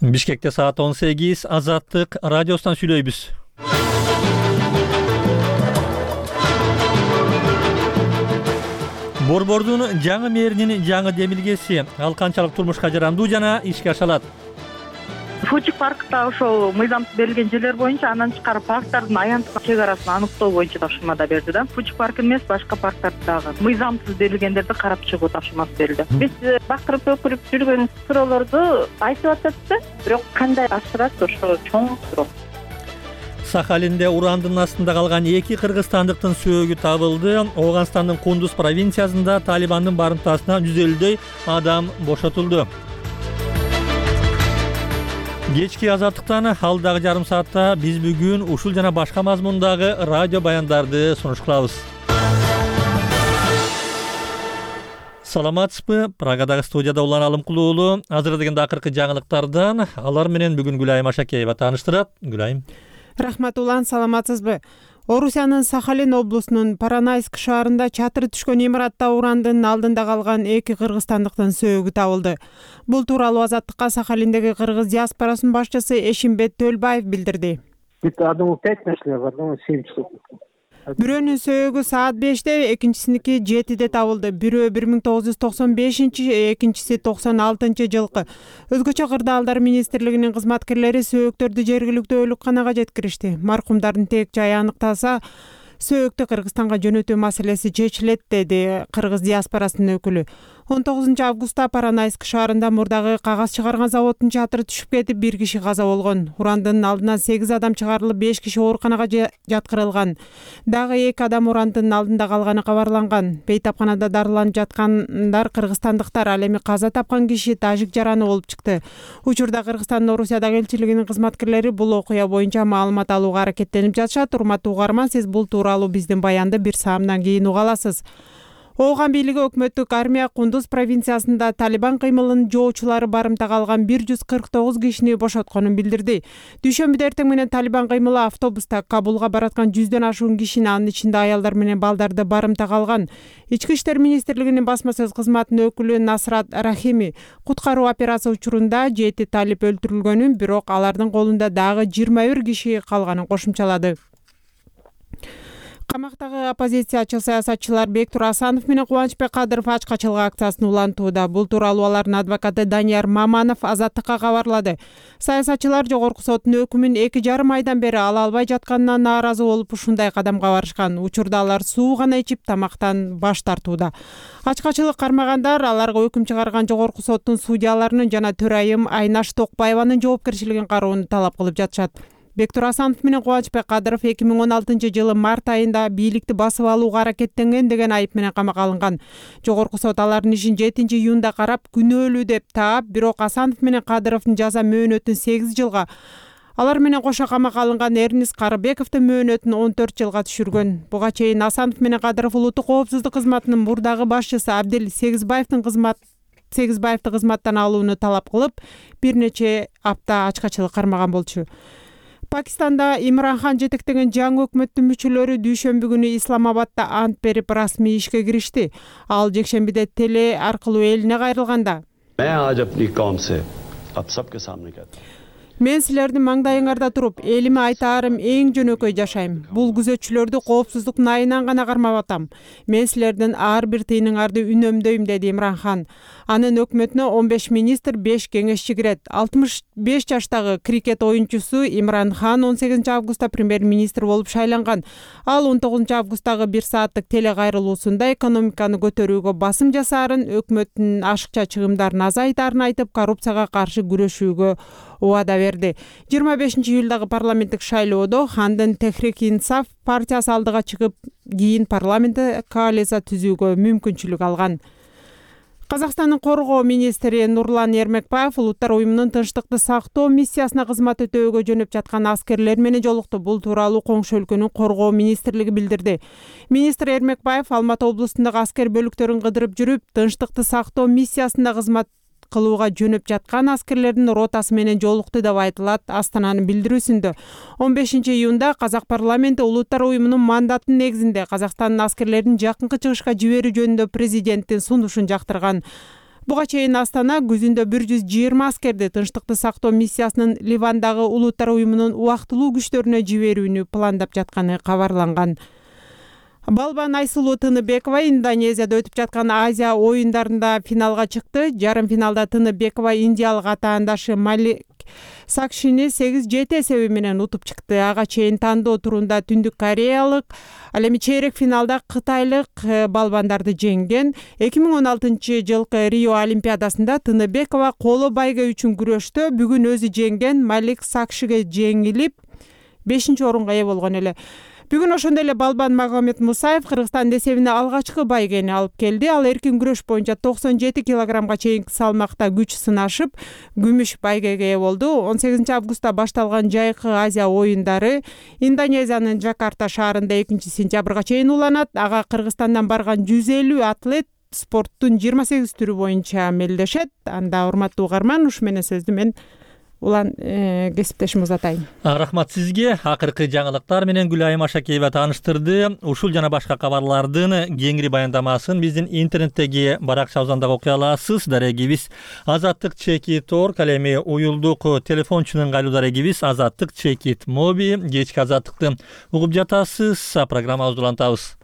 Бишкекте саат 18 Азаттык радиосунан сүйлөйбүз. Борбордун жаңы мэринин жаңы демилгеси ал канчалык турмушка жарандуу жана ишке ашалат? Фучик паркта ошол мыйзамсыз берилген жерлер боюнча андан тышкары парктардын аянттык чек арасын аныктоо боюнча тапшырма да берди да. Фучик парк эмес, башка парктарды дагы мыйзамсыз берилгендерди карап чыгуу тапшырмасы берилди. Биз бакырып өкүрүп жүргөн суроолорду айтып атат да, бирок кандай ашырат ошо чоң суроо. Сахалинде урандын астында калган 2 кыргызстандыктын сөөгү табылды. Ооганстандын Кундуз провинциясында Талибандын барымтасына 150дөй адам бошотулду. Кечки Азаттыктан алдагы жарым саатта биз бүгүн ушул жана башка мазмундагы радио баяндарды сунуш кылабыз. Саламатсызбы? Прагадагы студияда Улан Алымкулуу азырдагы акыркы жаңылыктардан алар менен бүгүн Гүлайым Ашакеева тааныштырат. Гүлайым. Рахмат Улан, саламатсызбы? Орусиянын Сахалин облусунун Паранайск шаарында чатыры түшкөн имаратта урандын алдында калган 2 кыргызстандыктын сөөгү табылды. Бул тууралуу Азаттыкка Сахалиндеги кыргыз диаспорасынын башчысы Эшимбет Төлбаев билдирди. Одному 5 нашли, в одному 7 штук. Бирөөнүн сөөгү саат 5-те, экинчисиники 7-де табылды. Бирөө 1995-чи, экинчиси 96-жылкы. Өзгөчө кырдаалдар министрлигинин кызматкерлери сөөктөрдү жергиликтүү өлүкканага жеткиришти. Маркумдардын тек жайы аныкталса, сөөктү Кыргызстанга жөнөтүү маселеси чечилет, деди кыргыз диаспорасынын өкүлү. 19 августта Паранайск шаарында мурдагы кагаз чыгарган заводдун чатыры түшүп кетип 1 киши каза болгон. Урандын алдынан 8 адам чыгарылып, 5 киши ооруканага жаткырылган. Дагы 2 адам урандын алдында калганы кабарланган. Бейтапканада дарыланып жаткандар кыргызстандыктар, ал эми каза тапкан киши тажик жараны болуп чыкты. Учурда Кыргызстандын Орусиядагы элчилигинин кызматкерлери бул окуя боюнча маалымат алууга аракеттенип жатышат. Урматтуу угарман, сиз бул тууралуу биздин баянды бир саамдан кийин уга аласыз. Ооган бийлиги өкмөттүк армия Кундуз провинциясында Талибан кыймылынын жоочулары барымта калган 149 кишини бошотконун билдирди. Дүйшөмбүдө эртең менен Талибан кыймылы автобуста Кабулга бараткан 100дөн ашуун кишини, анын ичинде аялдар менен балдарды барымта калган. Ички иштер министрлигинин басма сөз кызматынын өкүлү Насрат Рахими куткаруу операция учурунда 7 талип өлтүрүлгөнүн, бирок алардын колунда дагы 21 киши калганын кошумчалады. Камактагы оппозициячы саясатчылар Бектур Асанов менен Кубанычбек Кадыров ачкачылык акциясын улантууда. Бул тууралуу алардын адвокаты Данияр Маманов Азаттыкка кабарлады. Саясатчылар жогорку соттун өкүмүн 2,5 айдан бери ала албай жатканына нааразы болуп ушундай кадамга барышкан. Учурда алар суу гана ичип тамактан баш тартууда. Ачкачылык кармагандар аларга өкүм чыгарган жогорку соттун судьяларынын жана төрайым Айнаш Токбаеванын жоопкерчилигин кароону талап кылып жатышат. Бектур Асанов менен Кубанычбек Кадыров 2016-жылы март айында бийликти басып алууга аракеттенген деген айып менен камакка алынган. Жогорку сот алардын ишин 7-июнда карап, күнөөлүү деп таап, бирок Асанов менен Кадыровдун жаза мөөнөтүн 8 жылга, алар менен кошо камакка алынган Эрнис Карыбековдун мөөнөтүн 14 жылга түшүргөн. Буга чейин Асанов менен Кадыров улуттук коопсуздук кызматынын мурдагы башчысы Абдел Сегизбаевди кызматтан алууну талап кылып, бир нече апта ачкачылык кармаган болчу. Пакистанда Имран Хан жетектеген жаңы өкмөттүн мүчөлөрү дүйшөмбү күнү Исламабадда ант берип расмий ишке киришти. Ал жекшембиде теле аркылуу элине кайрылганда: "Мен силердин маңдайыңарда туруп, элиме айтаарым эң жөнөкөй жашайм. Бул күзөтчүлөрдү коопсуздуктун айынан гана кармап атам. Мен силердин ар бир тыйыныңарды үнөмдөйм", деди Имран Хан. Анын өкмөтүнө 15 министр, 5 кеңешчи кирет. 65 жаштагы крикет оюнчусу Имран Хан 18 августта премьер-министр болуп шайланган. Ал 19 августтагы 1 сааттык теле кайрылуусунда экономиканы көтөрүүгө басым жасаарын, өкмөттүн ашыкча чыгымдарын азайтаарын айтып, коррупцияга каршы күрөшүүгө убада берди. 25 июлдагы парламенттик шайлоодо Хандын Техрик-Инсаф партиясы алдыга чыгып, кийин парламентте коалиция түзүүгө мүмкүнчүлүк алган. Казакстандын коргоо министри Нурлан Ермекбаев Улуттар уюмунун тынчтыкты сактоо миссиясына кызмат өтөөгө жөнөп жаткан аскерлер менен жолукту. Бул тууралуу коңшу өлкөнүн коргоо министрлиги билдирди. Министр Ермекбаев Алматы облусундагы аскер бөлүктөрүн кыдырып жүрүп, тынчтыкты сактоо миссиясында кызмат кылууга жөнөп жаткан аскерлердин ротасы менен жолукту деп айтылат Астананын билдирүүсүндө. 15 июнда Казак парламенти Улуттар уюмунун мандатынын негизинде Казакстандын аскерлерин жакынкы чыгышка жиберүү жөнүндө президенттин сунушун жактырган. Буга чейин Астана күзүндө 120 аскерди тынчтыкты сактоо миссиясынын Ливандагы Улуттар уюмунун убактылуу күчтөрүнө жиберүүнү пландап жатканы кабарланган. Балбан Айсулуу Тыныбекова Индонезияда өтүп жаткан Азия оюндарында финалга чыкты. Жарым финалда Тыныбекова индиялык атаандашы Малик Сакшини 8-7 эсеби менен утуп чыкты. Ага чейин тандоо турунда Түндүк Кореялык, ал эми чейрек финалда Кытайлык балбандарды жеңген. 2016 жылкы Рио Олимпиадасында Тыныбекова коло байге үчүн күрөштө бүгүн өзү жеңген Малик Сакшиге жеңилип 5-орунга ээ болгон эле. Бүгүн ошондой эле Балбан Магомед Мусаев Кыргызстандын эсебине алгачкы байгени алып келди. Ал эркин күрөш боюнча 97 килограммга чейинки салмакта күч сынашып, күмүш байгеге ээ болду. 18 августта башталган жайкы Азия оюндары Индонезиянын Жакарта шаарында 2 сентябрга чейин уланат. Ага Кыргызстандан барган 150 атлет спорттун 28 түрү боюнча мелдешет. Анда урматтуу угарман, ушу менен сөздү мен улан кесиптешим узатайын. Рахмат сизге. Акыркы жаңылыктар менен Гүлайым Ашакеева тааныштырды. Ушул жана башка кабарлардын кеңири баяндамасын биздин интернеттеги баракчабыздан дагы окуй аласыз. Дарегибиз azattik.org, ал эми уюлдук телефончунун кайруу дарегибиз azattik моби. Кечки азаттыкты угуп жатасыз. Программабызды улантабыз.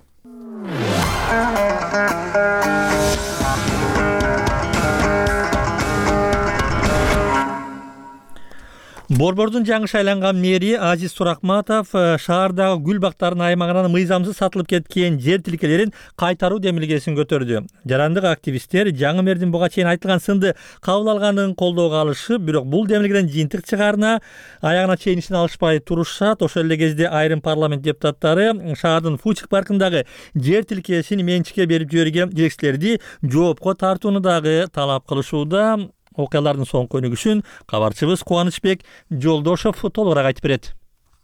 Борбордун жаңы шайланган мэри Азиз Суракматов шаардагы гүл бактарынын аймагынан мыйзамсыз сатылып кеткен жер тилкелерин кайтаруу демилгесин көтөрдү. Жарандык активисттер жаңы мэрдин буга чейин айтылган сынды кабыл алганын колдоого алышып, бирок бул демилгеден жыйынтык чыгаарына аягына чейин ишин алышпай турушат. Ошол эле кезде айрым парламент депутаттары шаардын Фучик паркындагы жер тилкесин менчикке берип жиберген жетекчилерди жоопко тартууну дагы талап кылышууда. Окуялардын соңку өнүгүшүн кабарчыбыз Кубанычбек Жолдошов толугураак айтып берет.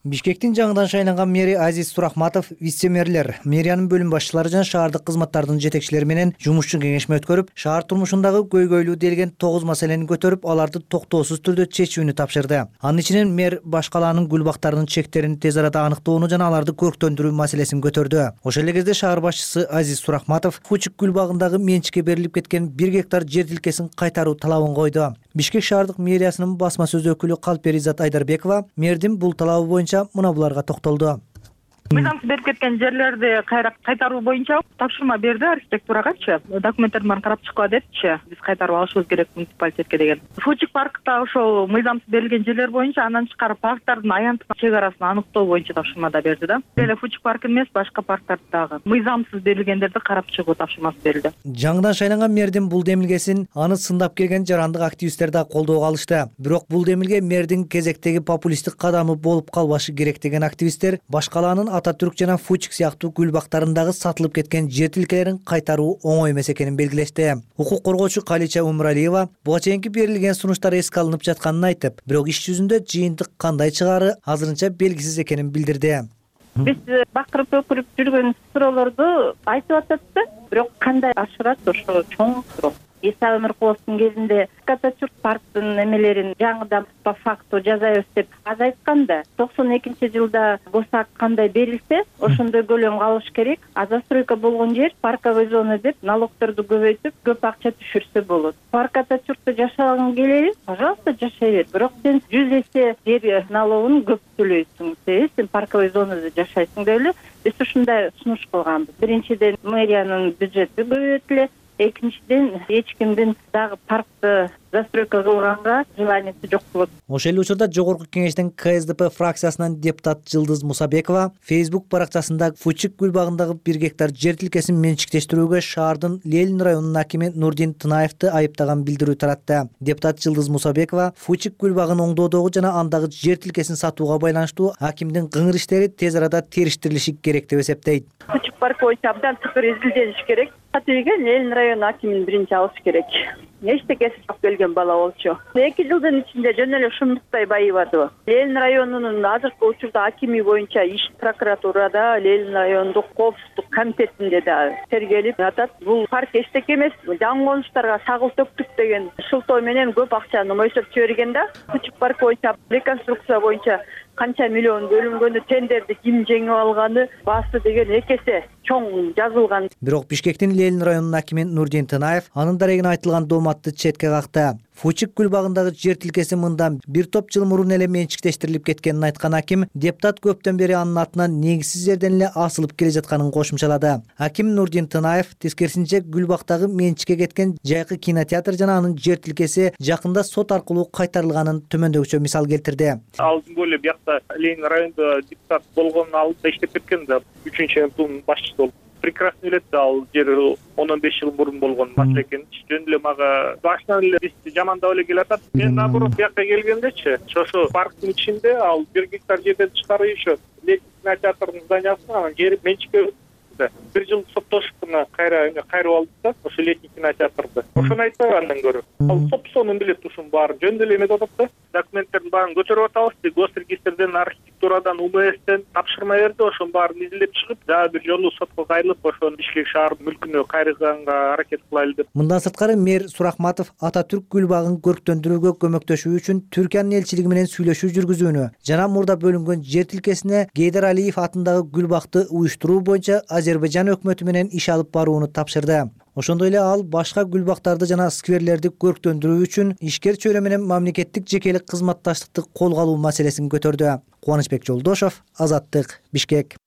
Бишкектин жаңыдан шайланган мэри Азиз Суракматов вице-мэрлер, мэриянын бөлүм башчылары жана шаардык кызматтардын жетекчилери менен жумушчу кеңешме өткөрүп, шаар турмушундагы көйгөйлүү делген 9 маселени көтөрүп, аларды токтоосуз түрдө чечүүнү тапшырды. Анын ичинен мэр башкалаанын гүл бактарынын чектерин тез арада аныктоону жана аларды көрктөндүрүү маселесин көтөрдү. Ошол эле кезде шаар башчысы Азиз Суракматов Фучик гүл багындагы менчикке берилип кеткен 1 гектар жер тилкесин кайтаруу талабын койду. Бишкек шаардык мэриясынын басма сөз өкүлү Калпер Изат Айдарбекова мэрдин бул талабы боюнча мына буларга токтолду. Мыйзамсыз берип кеткен жерлерди кайтаруу боюнча тапшырма берди архитектурагачы. Документтерди баарын карап чыккыла депчи. Биз кайтарып алышыбыз керек муниципалитетке деген. Фучик паркта ошол мыйзамсыз берилген жерлер боюнча андан тышкары парктардын аянтка чек арасын аныктоо боюнча тапшырмада берди да. Эле Фучик парк эмес, башка парктарды дагы мыйзамсыз берилгендерди карап чыгуу тапшырмасы берилди. Жаңыдан шайланган мэрдин бул демилгесин аны сындап келген жарандык активисттер да колдоого алышты. Бирок бул демилге мэрдин кезектеги популисттик кадамы болуп калбашы керек деген активисттер башкалаанын Ататүрк жана Фучик сыяктуу гүл бактарындагы сатылып кеткен жер тилкелерин кайтаруу оңой эмес экенин белгилешти. Укук коргоочу Калича Умуралиева буга чейинки берилген сунуштар эске алынып жатканын айтып, бирок иш жүзүндө жыйынтык кандай чыгаары азырынча белгисиз экенин билдирди. Биз бакырып өкүрүп жүргөн суроолорду айтып атат да, бирок кандай ашырат ошо чоң суроо. Иса Өмүркуловдун кезинде Ататүрк парктын эмелерин жаңыдан по факту жазайбыз деп аз айткан да. 92-жылда ГОСАК кандай берилсе, ошондой көлөм калыш керек. А застройка болгон жер парковый зона деп налогторду көбөйтүп, көп акча түшүрсө болот. Парк Ататүрктө жашагың келеби? Пожалуйста, жашай бер. Бирок сен 100 эсе жер налогун көп төлөйсүң. Сен парковый зонада жашайсың деп эле биз ушундай сунуш кылганбыз. Биринчиден мэриянын бюджети көбөйтүлө. Экинчиден эч кимдин дагы паркты застройка кылганга желаниясы жок болот. Ошол эле учурда жогорку кеңештин КСДП фракциясынан депутат Жылдыз Мусабекова Facebook баракчасында Фучик гүл багындагы 1 гектар жер тилкесин менчиктештирүүгө шаардын Ленин районунун акими Нурдин Тынаевди айыптаган билдирүү таратты. Депутат Жылдыз Мусабекова Фучик гүл багын оңдоодогу жана андагы жер тилкесин сатууга байланыштуу акимдин кыңыр иштери тез арада териштирилиши керек деп эсептейт. Фучик парк боюнча абдан тыкыр изилдениш керек. Атыйга Ленин району акимин биринчи алыш керек. Эчтекеси жок келген бала болчу. 2 жылдын ичинде жөн эле шумдуктай байып атты. Ленин районунун азыркы учурда акими боюнча иш прокуратурада, Ленин райондук коопсуздук комитетинде да тергелип атат. Бул парк эчтеке эмес, жаңы конуштарга сагыл төктүк деген шылтоо менен көп акчаны мойсоп жиберген да. Фучик парк боюнча реконструкция боюнча канча миллион бөлүнгөнү, тендерди ким жеңип алганы, баасы деген 2 эсе чоң жазылган. Бирок Бишкектин Ленин районунун акими Нурдин Тынаев анын дарегине айтылган дома маалыматты четке какты. Фучик гүл багындагы жер тилкеси мындан бир топ жыл мурун эле менчиктештирилип кеткенин айткан аким, депутат көптөн бери анын атынан негизсиз жерден эле асылып келе жатканын кошумчалады. Аким Нурдин Тынаев тескерисинче гүл бактагы менчикке кеткен жайкы кинотеатр жана анын жер тилкеси жакында сот аркылуу кайтарылганын төмөндөгүчө мисал келтирди. Алдын эле биякта Ленин районунда депутат болгонун алдында иштеп кеткен да 3-МТУнун башчысы болуп. Прекрасно билет, ал жер 10-15 жыл мурун болгон маселе экен. Жөн эле мага башынан эле бизди жамандап эле келатат. Мен наоборот биякка келгендечи, ошо парктын ичинде ал 1 гектар жерден тышкары еще кинотеатрдын зданиясын анан жери менчикке 1 жыл соттошуп кайрып алдык да, ошо летний кинотеатрды. Ошону айтпайбы андан көрө. Ал собственный билет ушун баары жөн эле эметип атат да. Документтердин баарын көтөрүп атабыз. Госрегистрден, архитектурадан, УМСтен тапшырма берди. Ошонун баарын изилеп чыгып, дагы бир жолу сотко кайрылып, ошону Бишкек шаардын мүлкүнө кайрылганга аракет кылайлы деп. Мындан сырткары мэр Суракматов Ататүрк гүл багын көрктөндүрүүгө көмөктөшүү үчүн Түркиянын элчилиги менен сүйлөшүү жүргүзүүнү жана мурда бөлүнгөн жер тилкесине Гейдар Алиев атындагы гүл бакты уюштуруу боюнча Азербайжан өкмөтү менен иш алып барууну тапшырды. Ошондой эле ал башка гүл бактарды жана скверлерди көрктөндүрүү үчүн ишкер чөйрө менен мамлекеттик жекелик кызматташтыкты колго алуу маселесин көтөрдү. Кубанычбек Жолдошов, Азаттык, Бишкек.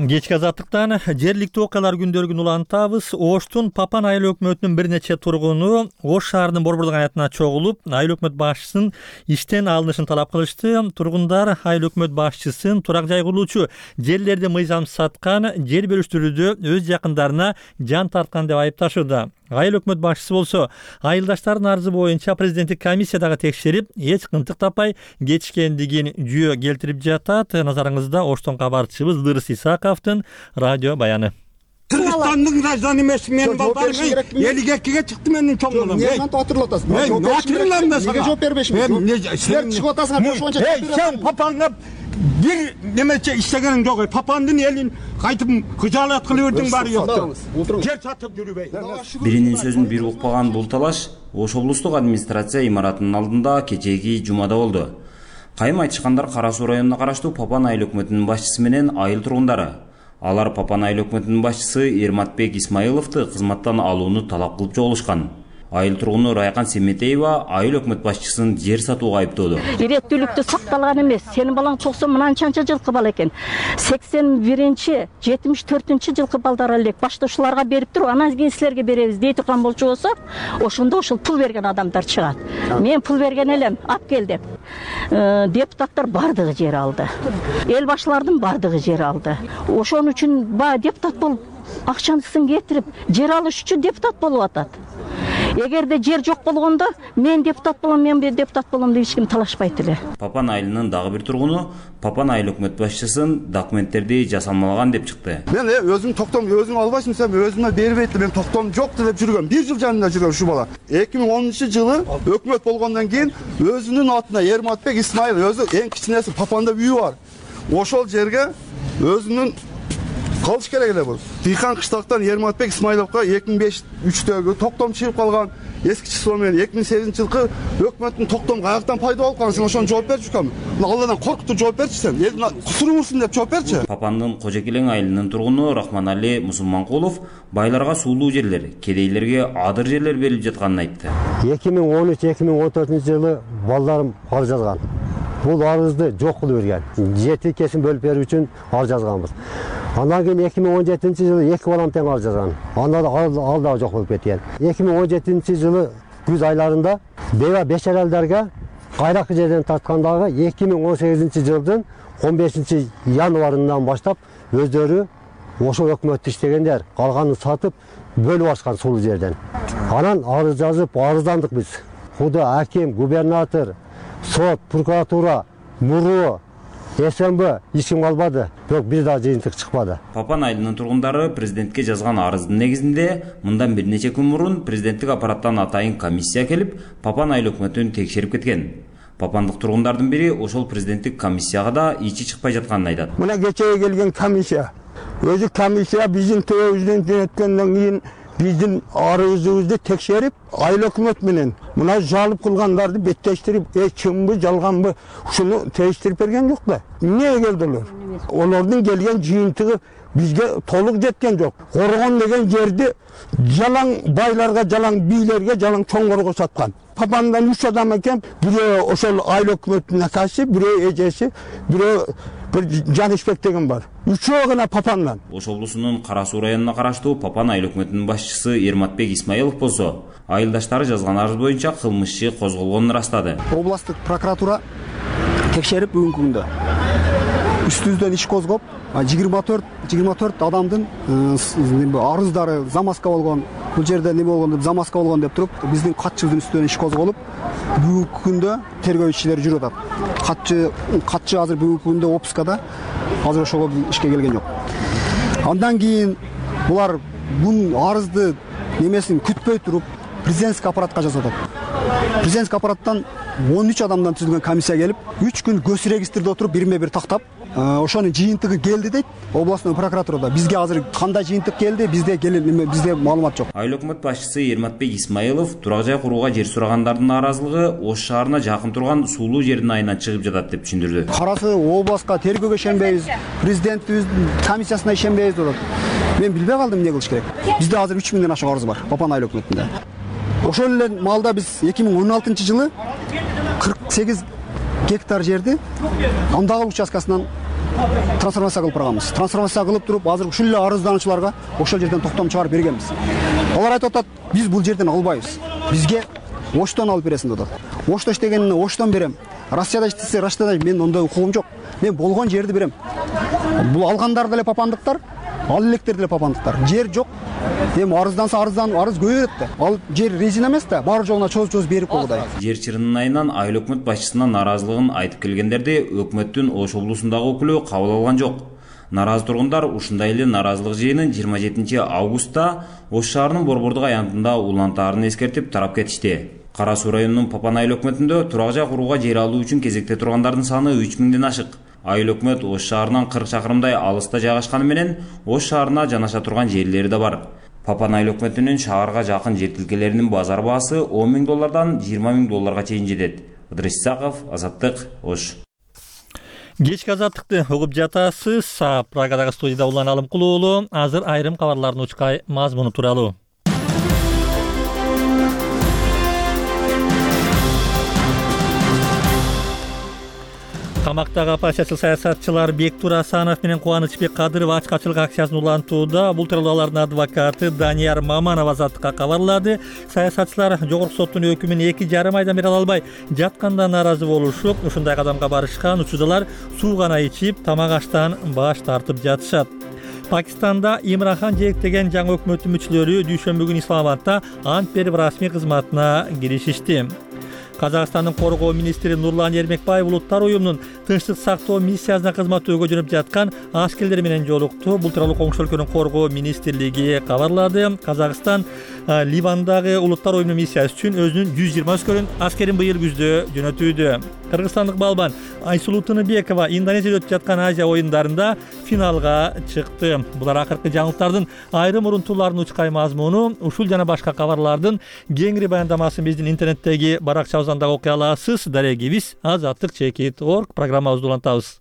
Кечки Азаттыктан жергиликтүү окуялар күндөрүн улантабыз. Оштун Папан айыл өкмөтүнүн бир нече тургуну Ош шаарынын борбордук аянтына чогулуп, айыл өкмөт башчысын иштен алынышын талап кылышты. Тургундар айыл өкмөт башчысын турак жай курулуучу жерлерди мыйзамсыз саткан, жер бөлүштүрүүдө өз жакындарына жан тарткан деп айыпташууда. Айыл өкмөт башчысы болсо айылдаштардын арызы боюнча президенттик комиссиядагы текшерип, эч кынтык таппай кетишкендигин жүйө келтирип жатат. Назарыңызда Оштон кабарчыбыз Дырыс Исаковдун радио баяны. Кыргызстандын гражданы эмес, мен балдарым 52-ге чыкты менин чоң балам. Эмне атырлап атасың? Неге жооп бербешмин? Силер чыгып атасыңар, ошончо жооп бересиң. Сен папаңга бир немече иштегениң жок. Папаңдын элин кайтып кыжаалат кылып бердиң баары жок. Жер сатып жүрбөй. Биринин сөзүн бир укпаган бул талаш Ош облустук администрация имаратынын алдында кечээги жумада болду. Кайым айтышкандар Кара Суу районуна караштуу Папан айыл өкмөтүнүн башчысы менен айыл тургундары. Алар Папан айыл өкмөтүнүн башчысы Эрматбек Исмаиловду кызматтан алууну талап кылып чогулушкан. Айыл тургуну Райкан Семетеева айыл өкмөт башчысын жер сатууга айыптоодо. Иреттүүлүктү сакталган эмес. Сенин балаң 90 мынанчанча жылкы бала экен. 81-чи, 74-чү жылкы балдар элек баштоочуларга берип туруп, анан кийин силерге беребиз дей турган болчу болсо, ошондо ошол пул берген адамдар чыгат. Мен пул берген элем, ап кел деп. Депутаттар бардыгы жер алды. Эл башчылардын бардыгы жер алды. Ошон үчүн депутат болуп, акчасын кетирип, жер алыш үчүн депутат болуп атат. Эгерде жер жок болгондо мен депутат болом, мен депутат болом деп эч ким талашпайт эле. Папан айылынын дагы бир тургуну Папан айыл өкмөт башчысын документтерди жасалмалаган деп чыкты. Мен өзүм токтом, өзүң албайсың десем, өзүмө бербейт, мен токтом жок деп жүргөм. 1 жыл жанында жүргөн ушу бала. 2010-жылы өкмөт болгондон кийин өзүнүн атына Эрматбек Исмаил, өзү эң кичинеси, Папанда үйү бар. Ошол жерге өзүнүн калыш керек эле бул. Тыйкан кыштактан Эрматбек Исмаиловго 2005-3-төгү токтом чыгып калган. Эски число менен 2008-жылкы өкмөттүн токтом каяктан пайда болуп калган, сен ошону жооп берчү кам. Алладан коркутуп жооп берчи сен. Элдин кусурубузсун деп жооп берчи. Папандын Кожекелең айылынын тургуну Рахманали Мусулманкулов байларга суулуу жерлер, кедейлерге адыр жерлер берилип жатканын айтты. 2013-2014-жылы балдарым арыз жазган. Бул арызды жок кылып берген. Жер тилкесин бөлүп берүү үчүн арыз жазганбыз. Андан кийин 2017-жылы 2 балам тең арыз жазган. Анда ал да жок болуп кеткен. 2017-жылы күз айларында бева бешаралдарга кайракы жерден тарткандагы 2018-жылдын 15-январынан баштап өздөрү ошол өкмөттү иштегендер, калганын сатып бөлүп алышкан сулуу жерден. Анан арыз жазып арыздандык биз. Куда аким, губернатор, сот, прокуратура, муру, СМБ эч ким албады, бирок бир да жыйынтык чыкпады. Папан айылынын тургундары президентке жазган арыздын негизинде мындан бир нече күн мурун президенттик аппараттан атайын комиссия келип, Папан айыл өкмөтүн текшерип кеткен. Папандык тургундардын бири ошол президенттик комиссияга да ичи чыкпай жатканын айтат. Мына кечээ келген комиссия, өзү комиссия биздин төбөбүздөн жөнөткөндөн кийин биздин арызыбызды текшерип, айыл өкмөт менен мына жалып кылгандарды беттештирип, чынбы, жалганбы, ушуну тештирип берген жок да. Эмне келдилер? Олордун келген жыйынтыгы бизге толук жеткен жок. Коргон деген жерди жалаң байларга, жалаң бийлерге, жалаң чоңгорго саткан. Папандан 3 адам экен, бирөө ошол айыл өкмөттүн акасы, бирөө эжеси, бирөө bir Canişbek деген бар. Үчөө гана Папандан. Ош облусунун Кара Суу районуна караштуу Папан айыл өкмөтүнүн башчысы Эрматбек Исмаилов болсо, айылдаштары жазган арыз боюнча кылмыш иши козголгонун ырастады. Областтык прокуратура текшерип бүгүнкү күндө үстүбүздөн иш козгоп, 24 адамдын арыздары замазка болгон, бул жерде неме болгон деп замазка болгон деп туруп, биздин катчыбыздын үстүнөн иш козголуп, бүгүнкү күндө тергөө ишчилери жүрүп атат. Катчы азыр бүгүнкү күндө отпускада, азыр ошого ишке келген жок. Андан кийин булар бун арызды немесин күтпөй туруп, президентский аппаратка жазат. Президентский аппараттан 13 адамдан түзүлгөн комиссия келип, 3 күн гос регистрде отуруп, бирме-бир тактап, ошонун жыйынтыгы келди дейт. Областной прокуратурада бизге азыр кандай жыйынтык келди, бизде маалымат жок. Айыл өкмөт башчысы Эрматбек Исмаилов турак жай курууга жер сурагандардын нааразылыгы Ош шаарына жакын турган суулуу жердин айынан чыгып жатат деп түшүндүрдү. Карасы областка тергөөгө ишенбейбиз, президенттибиздин комиссиясына ишенбейбиз деп атат. Мен билбей калдым эмне кылыш керек. Бизде азыр 3000ден ашык арыз бар Папан айыл өкмөтүндө. Ошол эле маалда биз 2016-жылы 48 гектар жерди андагы участкасынан трансформация кылып барганбыз. Трансформация кылып туруп, азыр ушул эле арыздануучуларга ошол жерден токтом чыгарып бергенбиз. Алар айтып атат, биз бул жерден албайбыз. Бизге Оштон алып бересиң деп атат. Ошто иштегенин Оштон берем. Россияда иштесе Россияда, мен ондой укугум жок. Мен болгон жерди берем. Бул алгандар деле папандыктар, ал электер деле папандыктар. Жер жок. Эми арызданса арыз көбөйөт да. Ал жер резина эмес да, бар жолуна чоз берип койгудай. Жер чырынын айынан айыл өкмөт башчысына нааразылыгын айтып келгендерди өкмөттүн Ош облусундагы өкүлү кабыл алган жок. Наразы тургундар ушундай эле нааразылык жыйынын 27 августта Ош шаарынын Борбордук аянтында улантаарын эскертип тарап кетишти. Кара Суу районунун Папан айыл өкмөтүндө турак жай курууга жер алуу үчүн кезекте тургандардын саны 3000ден ашык. Айыл өкмөт Ош шаарынан 40 чакырымдай алыста жайгашканы менен Ош шаарына жанаша турган жерлери да бар. Папан айыл өкмөтүнүн шаарга жакын жер тилкелеринин базар баасы $10,000 $20,000 чейин жетет. Ыдырыс Исаков, Азаттык, Ош. Кечки азаттыкты угуп жатасыз. Прагадагы студияда Улан Алымкулуу уулу. Азыр айрым кабарлардын учкай мазмуну тууралуу. Камактагы оппозициялык саясатчылар Бектур Асанов менен Кубанычбек Кадыров ачкачылык акциясын улантууда. Бул тууралуу алардын адвокаты Данияр Маманов Азаттыкка кабарлады. Саясатчылар жогорку соттун өкүмүн 2,5 айдан бери ала албай жатканда нааразы болушуп, ушундай кадамга барышкан. Учурдалар суу гана ичип, тамак аштан баш тартып жатышат. Пакистанда Имранхан жээктеген жаңы өкмөттүн мүчөлөрү дүйшөмбү күнү Исламабадта ант берип расмий кызматына киришишти. Казакстандын коргоо министри Нурлан Эрмекбаев улуттар уюмунун тынчтык сактоо миссиясына кызматтөөгө жөнөп жаткан аскерлер менен жолукту. Бул тууралуу коңшу өлкөнүн коргоо министрлиги кабарлады. Казакстан Ливандагы улуттар уюмунун миссиясы үчүн өзүнүн 120 аскерин быйыл күздө жөнөтүүдө. Кыргызстандык балбан Айсулуу Тыныбекова Индонезияда өтүп жаткан Азия оюндарында финалга чыкты. Булар акыркы жаңылыктардын айрым урунтууларынын учкай мазмуну. Ушул жана башка кабарлардын кеңири баяндамасын биздин интернеттеги баракчабыздан да окуй аласыз. Дарегибиз azattik.org программабызды улантабыз.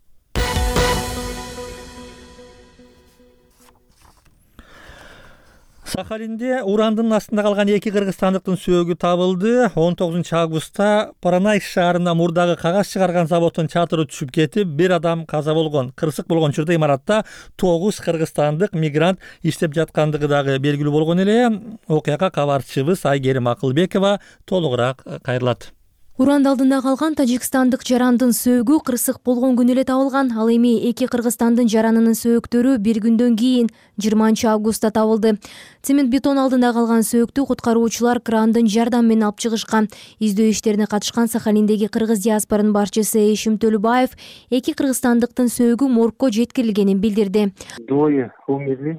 Сахалинде урандын астында калган 2 кыргызстандыктын сөөгү табылды. 19 августта Поронайск шаарында мурдагы кагаз чыгарган заводдун чатыры түшүп кетип, 1 адам каза болгон. Кырсык болгон учурда имаратта 9 кыргызстандык мигрант иштеп жаткандыгы дагы белгилүү болгон эле. Окуяга кабарчыбыз Айгерим Акылбекова толугураак кайрылат. Уранд алдында калган тажикстандык жарандын сөөгү кырсык болгон күнү эле табылган. Ал эми 2 кыргызстандын жаранынын сөөктөрү 1 күндөн кийин 20 августта табылды. Цемент бетон алдында калган сөөктү куткаруучулар крандын жардамы менен алып чыгышкан. Издөө иштерине катышкан Сахалиндеги кыргыз диаспоранын башчысы Эшим Төлөбаев 2 кыргызстандыктын сөөгү моргко жеткирилгенин билдирди.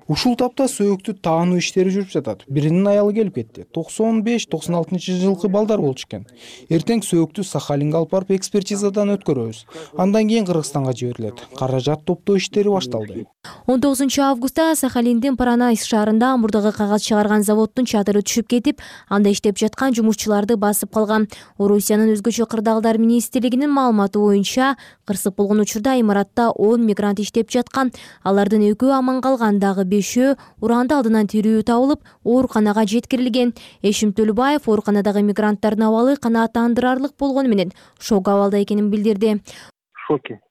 Ушул тапта сөөктү таануу иштери жүрүп жатат. Биринин аялы келип кетти. 95-96 жылкы балдар болчу экен. Эртең сөөктү Сахалинге алып барып экспертизадан өткөрөбүз. Андан кийин Кыргызстанга жиберилет. Каражат топтоо иштери башталды. 19 августта Сахалиндин Паранайск шаарында мурдагы кагаз чыгарган заводдун чатыры түшүп кетип, анда иштеп жаткан жумушчуларды басып калган. Орусиянын өзгөчө кырдаалдар министрлигинин маалыматы боюнча, кырсык болгон учурда имаратта 10 мигрант иштеп жаткан. Алардын 2-өө аман калган, дагы 5-өө уранды алдынан тирүү табылып, ооруканага жеткирилген. Эшим Төлөбаев ооруканадагы мигранттардын абалы канааттандырарлык болгону менен шок абалда экенин билдирди.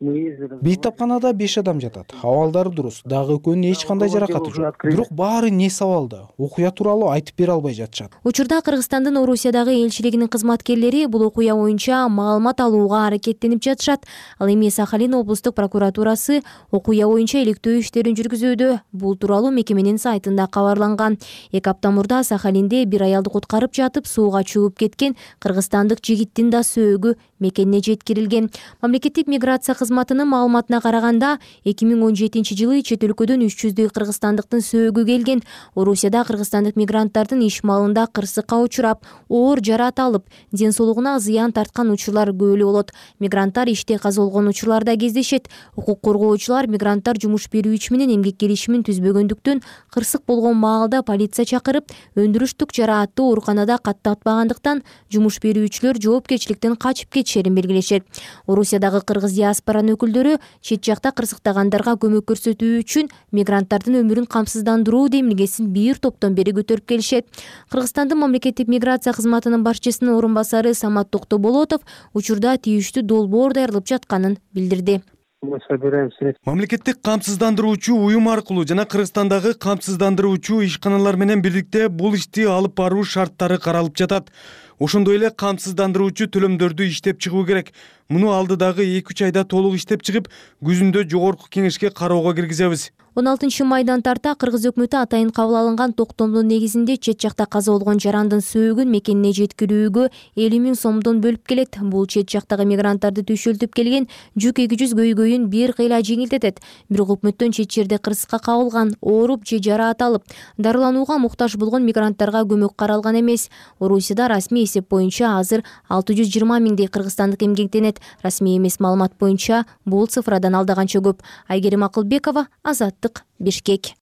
Бейт тапканада 5 адам жатат. Абалдары дурус, дагы экөөнүн эч кандай жаракаты жок. Бирок баары не сабалда, окуя тууралуу айтып бере албай жатышат. Учурда Кыргызстандын Орусиядагы элчилигинин кызматкерлери бул окуя боюнча маалымат алууга аракеттенип жатышат. Ал эми Сахалин облустук прокуратурасы окуя боюнча иликтөө иштерин жүргүзүүдө. Бул тууралуу мекеменин сайтында кабарланган. 2 апта мурда Сахалинде бир аялды куткарып жатып сууга чөгүп кеткен кыргызстандык жигиттин да сөөгү мекенине жеткирилген. Мамлекеттик миграция кызматынын маалыматына караганда, 2017 жылы чет өлкөдөн 300 кыргызстандыктын сөөгү келген. Орусияда кыргызстандык мигранттардын иш малында кырсыкка учурап, оор жараат алып, ден соолугуна зыян тарткан учурлар көп эле болот. Мигранттар иште каза болгон учурларда кездешет. Укук коргоочулар мигранттар жумуш берүүчү менен эмгек келишимин түзбөгөндүктөн кырсык болгон маалда полиция чакырып, өндүрүштүк жараатты ооруканада каттатпагандыктан жумуш берүүчүлөр жоопкерчиликтен качып кетишерин белгилешет. Орусиядагы кыргыз диаспоранын өкүлдөрү чет жакта кырсыктагандарга көмөк көрсөтүү үчүн мигранттардын өмүрүн камсыздандыруу демилгесин бир топтон бери көтөрүп келишет. Кыргызстандын мамлекеттик миграция кызматынын башчысынын орун басары Самат Токтоболотов учурда тийиштүү долбоор даярдалып жатканын билдирди. Мамлекеттик камсыздандыруучу уюм аркылуу жана Кыргызстандагы камсыздандыруучу ишканалар менен бирдикте бул ишти алып баруу шарттары каралып жатат. Ошондой эле камсыздандыруучу төлөмдөрдү иштеп чыгуу керек. Муну алдыдагы 2-3 айда толук иштеп чыгып, күзүндө жогорку кеңешке кароого киргизебиз. 16 майдан тарта Кыргыз өкмөтү атайын кабыл алынган токтомдун негизинде чет жакта каза болгон жарандын сөөгүн мекенине жеткирүүгө 50 000 сомдон бөлүп келет. Бул чет жактагы мигранттарды түйшөлтүп келген жүк 200 көйгөйүн бир кыйла жеңилдетет. Бирок өкмөттөн чет жерде кырсыкка кабылган, ооруп же жараат алып, дарыланууга муктаж болгон мигранттарга көмөк каралган эмес. Орусияда расмий эсеп боюнча азыр 620 000 кыргызстандык эмгектенет. Расмий эмес маалымат боюнча бул цифрадан алдаганча көп. Айгерим Акылбекова, Азаттык, Бишкек.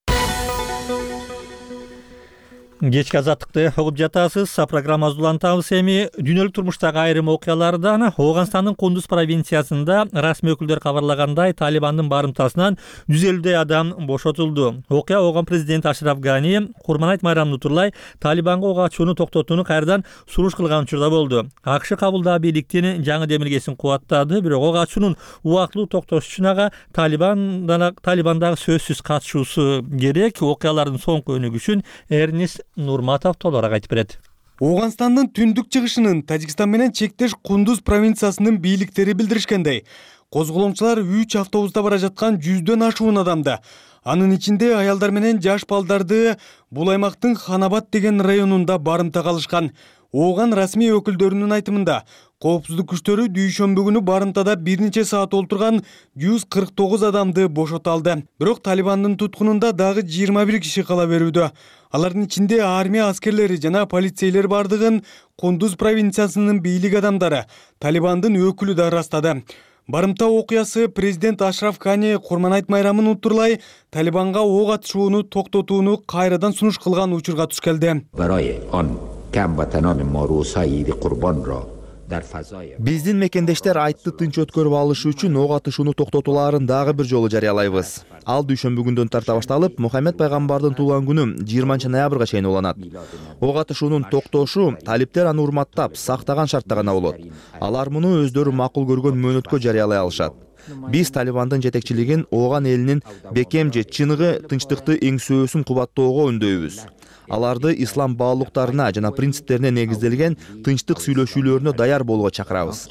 Кечки азаттыкты угуп жатасыз. Программабызды улантабыз. Эми дүйнөлүк турмуштагы айрым окуялардан Ооганстандын Кундуз провинциясында расмий өкүлдөр кабарлагандай Талибандын барымтасынан 150 адам бошотулду. Окуя Ооган президенти Ашраф Гани Курманайт майрамын утурлай Талибанга ок ачууну токтотууну кайрадан суруш кылган учурда болду. АКШ кабылдаа бийликтин жаңы демилгесин кубаттады, бирок ок ачуунун убактылуу токтош үчүн ага Талибандагы сөзсүз катышуусу керек. Окуялардын соңку өнүгүшүн Эрнест Нурматов толугураак айтып берет. Ооганстандын түндүк чыгышынын Тажикстан менен чектеш Кундуз провинциясынын бийликтери билдиришкендей, козголоңчулар 3 автобуста бара жаткан 100дөн ашуун адамды, анын ичинде аялдар менен жаш балдарды бул аймактын Ханабад деген районунда барымта калышкан. Ооган расмий өкүлдөрүнүн айтымында, коопсуздук күчтөрү дүйшөмбү күнү барымтада бир нече саат олтурган 149 адамды бошото алды. Бирок Талибандын туткунунда дагы 21 киши кала берүүдө. Алардын ичинде армия аскерлери жана полицейлер бардыгын Кундуз провинциясынын бийлик адамдары, Талибандын өкүлү да ырастады. Барымта окуясы президент Ашраф Гани Курманайт майрамын утурлай Талибанга ок атышууну токтотууну кайрадан сунуш кылган учурга туш келди. Биздин мекендештер айтты тынч өткөрүп алышы үчүн ок атышууну токтотууларын дагы бир жолу жарыялайбыз. Ал дүйшөмбү күндөн тарта башталып, Мухаммед пайгамбардын туулган күнү 20 ноябрга чейин уланат. Ок атышуунун токтошу талиптер аны урматтап, сактаган шартта гана болот. Алар муну өздөрү макул көргөн мөөнөткө жарыялай алышат. Биз Талибандын жетекчилигин Ооган элинин бекем же чыныгы тынчтыкты эңсөөсүн кубаттоого үндөйбүз. Аларды ислам баалуулуктарына жана принциптерине негизделген тынчтык сүйлөшүүлөрүнө даяр болууга чакырабыз.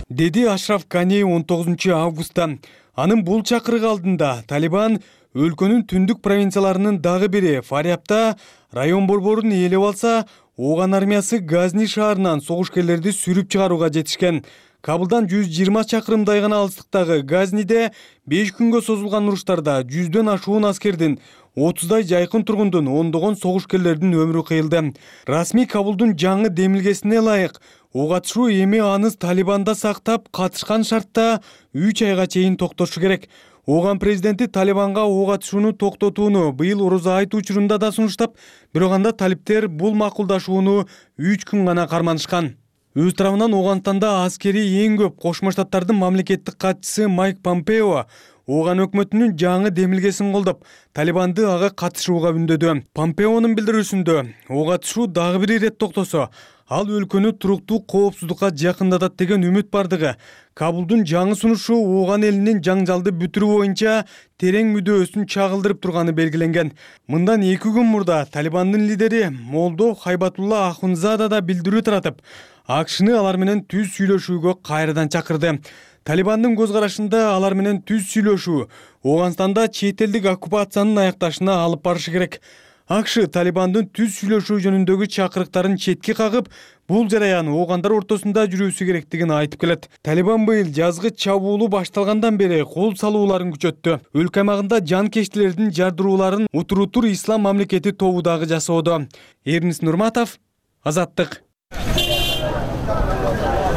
Деди Ашраф Гани 19 августта. Анын бул чакырык алдында Талибан өлкөнүн түндүк провинцияларынын дагы бири Фариябда район борборун ээлеп алса, Ооган армиясы Газни шаарынан согушкерлерди сүрүп чыгарууга жетишкен. Кабылдан 120 чакырымдай гана алыстыктагы Газниде 5 күнгө созулган уруштарда 100дөн ашуун аскердин 30дай жайкын тургундун, ондогон согушкерлердин өмүрү кыйылды. Расмий Кабулдун жаңы демилгесине ылайык ок атышуу эми аныз Талибанда сактап, катышкан шартта 3 айга чейин токтошу керек. Ооган президенти Талибанга ок атышууну токтотууну быйыл Орозо айты учурунда да сунуштап, бирок анда талиптер бул макулдашууну 3 күн гана карманышкан. Өз тарабынан Ооганданда аскери эң көп Кошмо Штаттардын мамлекеттик катчысы Майк Помпео Ооган өкмөтүнүн жаңы демилгесин колдоп, Талибанды ага катышууга үндөдү. Помпеонун билдирүүсүндө, ок атышуу дагы бир ирет токтосо, ал өлкөнү туруктуу коопсуздукка жакындатат деген үмүт бардыгы, Кабулдун жаңы сунушу Ооган элинин жаңжалды бүтүрүү боюнча терең мүдөөсүн чагылдырып турганы белгиленген. Мындан 2 күн мурда Талибандын лидери Молдо Хайбатулла Ахунзада да билдирүү таратып, АКШны алар менен түз сүйлөшүүгө кайрадан чакырды. Талибандын көз карашында алар менен түз сүйлөшүү Ооганстанда чет элдик оккупациянын аякташына алып барышы керек. АКШ Талибандын түз сүйлөшүү жөнүндөгү чакырыктарын четке кагып, бул жараян оогандар ортосунда жүрүүсү керектигин айтып келет. Талибан быйыл жазгы чабуулу башталгандан бери кол салууларын күчөттү. Өлкө аймагында жанкечтилердин жардырууларын Утурутур Ислам мамлекети тобу дагы жасоодо. Эрнис Нурматов, Азаттык.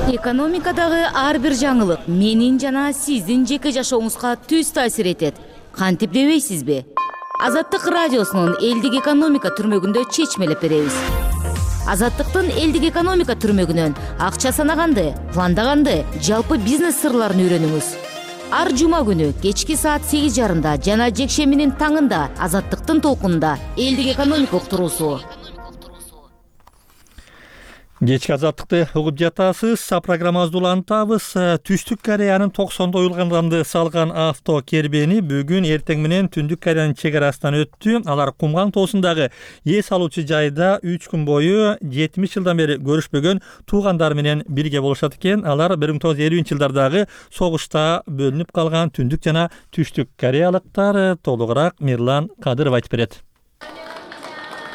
Экономикадагы ар бир жаңылык менин жана сиздин жеке жашооңузга түз таасир этет. Кантип дебейсизби? Азаттык радиосунун элдик экономика түрмөгүндө чечмелеп беребиз. Азаттыктын элдик экономика түрмөгүнөн акча санаганды, пландаганды, жалпы бизнес сырларын үйрөнүңүз. Ар жума күнү кечки саат 8:30 жана жекшембинин таңында Азаттыктын толкунунда элдик экономика уктуруусу. Кечки Азаттыкты угуп жатасыз. Программабызды улантабыз. Түштүк Кореянын 90-да уюлганданды салган авто кербени бүгүн эртең менен Түндүк Кореянын чек арасынан өттү. Алар Кумган тоосундагы эс алуучу жайда 3 күн бою 70 жылдан бери көрүшпөгөн туугандары менен бирге болушат экен. Алар 1950-жылдардагы согушта бөлүнүп калган Түндүк жана Түштүк Кореялыктар. Толугураак Мирлан Кадыров айтып берет.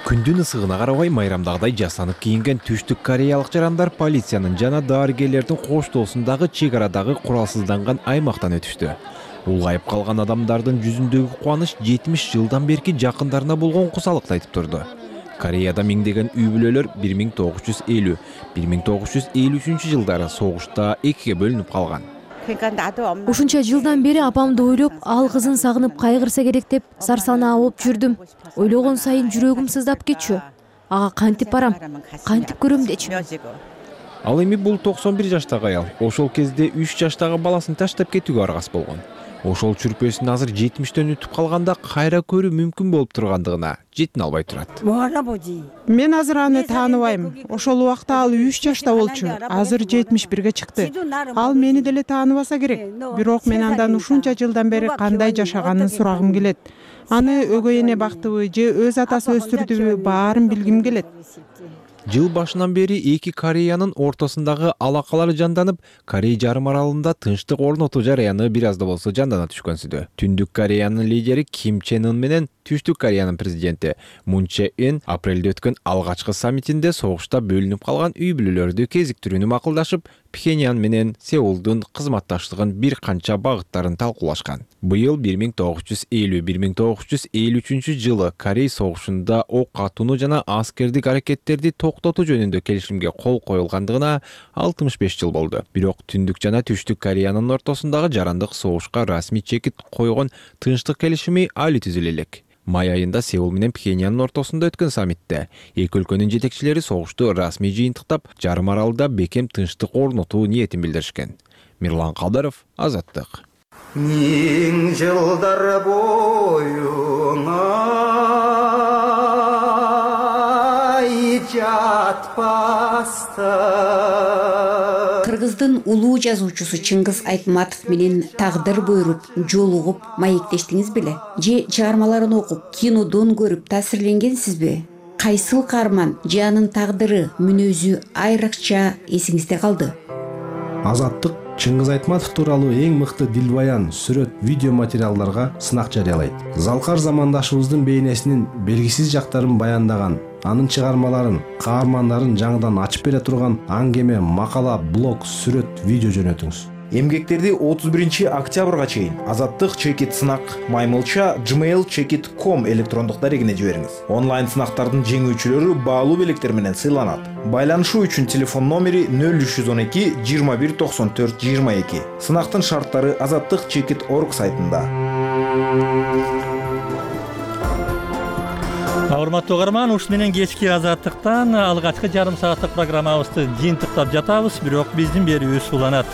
Күндүн ысыгына карабай майрамдагыдай жасанып кийинген Түштүк Кореялык жарандар полициянын жана дарыгерлердин коштоосундагы чек арадагы куралсызданган аймактан өтүштү. Улгайып калган адамдардын жүзүндөгү кубаныч 70 жылдан берки жакындарына болгон кусалыкты айтып турду. Кореяда миңдеген үй бүлөлөр 1950-1953 жылдары согушта экиге бөлүнүп калган. Ушунча жылдан бери апамды ойлоп, ал кызын сагынып кайгырса керек деп сарсанаа болуп жүрдүм. Ойлогон сайын жүрөгүм сыздап кетчү. Ага кантип барам, кантип көрөм дечи. Ал эми бул 91 жаштагы аял ошол кезде 3 жаштагы баласын таштап кетүүгө аргас болгон. Ошол чүрпөсүн азыр 70-төн өтүп калганда кайра көрүү мүмкүн болуп тургандыгына жетине албай турат. Мен азыр аны тааныбайм. Ошол убакта ал 3 жашта болчу. Азыр 71ге чыкты. Ал мени деле тааныбаса керек. Бирок мен андан ушунча жылдан бери кандай жашаганын сурагым келет. Аны өгөй эне бактыбы же өз атасы өстүрдүбү, баарын билгим келет. Жыл башынан бери эки Кореянын ортосундагы алакалар жанданып, Корей жарым аралында тынчтык орнотуу жараяны бир аз да болсо жандана түшкөнсүдө. Түндүк Кореянын лидери Ким Чен Ын менен Түштүк Кореянын президенти Мун Чжэ Ин апрелде өткөн алгачкы саммитинде согушта бөлүнүп калган үй бүлөлөрдү кезиктирүүнү макулдашып, Пхеньян менен Сеулдун кызматташтыгын бир канча багыттарын талкуулашкан. Быйыл 1950-1953 жылы Корей согушунда ок атууну жана аскердик аракеттерди токтотуу жөнүндө келишимге кол коюлгандыгына 65 жыл болду. Бирок Түндүк жана Түштүк Кореянын ортосундагы жарандык согушка расмий чекит койгон тынчтык келишими али түзүлө элек. Май айында Сеул менен Пхеньяндын ортосунда өткөн саммитте эки өлкөнүн жетекчилери согушту расмий жыйынтыктап, жарым аралда бекем тынчтык орнотуу ниетин билдиришкен. Мирлан Кадыров, Азаттык. Миң жылдар боюңа жатпастан. Кыргыздын улуу жазуучусу Чыңгыз Айтматов менен тагдыр буйруп, жолугуп, маектештиңиз беле? Же чыгармаларын окуп, кинодон көрүп таасирленгенсизби? Кайсыл каарман же анын тагдыры, мүнөзү айрыкча эсиңизде калды? Азаттык Чыңгыз Айтматов тууралуу эң мыкты дилбаян, сүрөт, видео материалдарга сынак жарыялайт. Залкар замандашыбыздын бейнесинин белгисиз жактарын баяндаган, анын чыгармаларын, каармандарын жаңыдан ачып бере турган аңгеме, макала, блог, сүрөт, видео жөнөтүңүз. Эмгектерди 31 октябрга чейин Азаттык чекит сынак @gmail chekit.com электрондук дарегине жибериңиз. Онлайн сынактардын жеңүүчүлөрү баалуу белектер менен сыйланат. Байланышуу үчүн телефон номери 0312 21 94 22. Сынактын шарттары Азаттык chekit.org сайтында. Урматтуу угарман, ушун менен кечки Азаттыктан алгачкы жарым сааттык программабызды жыйынтыктап жатабыз, бирок биздин берүүбүз уланат.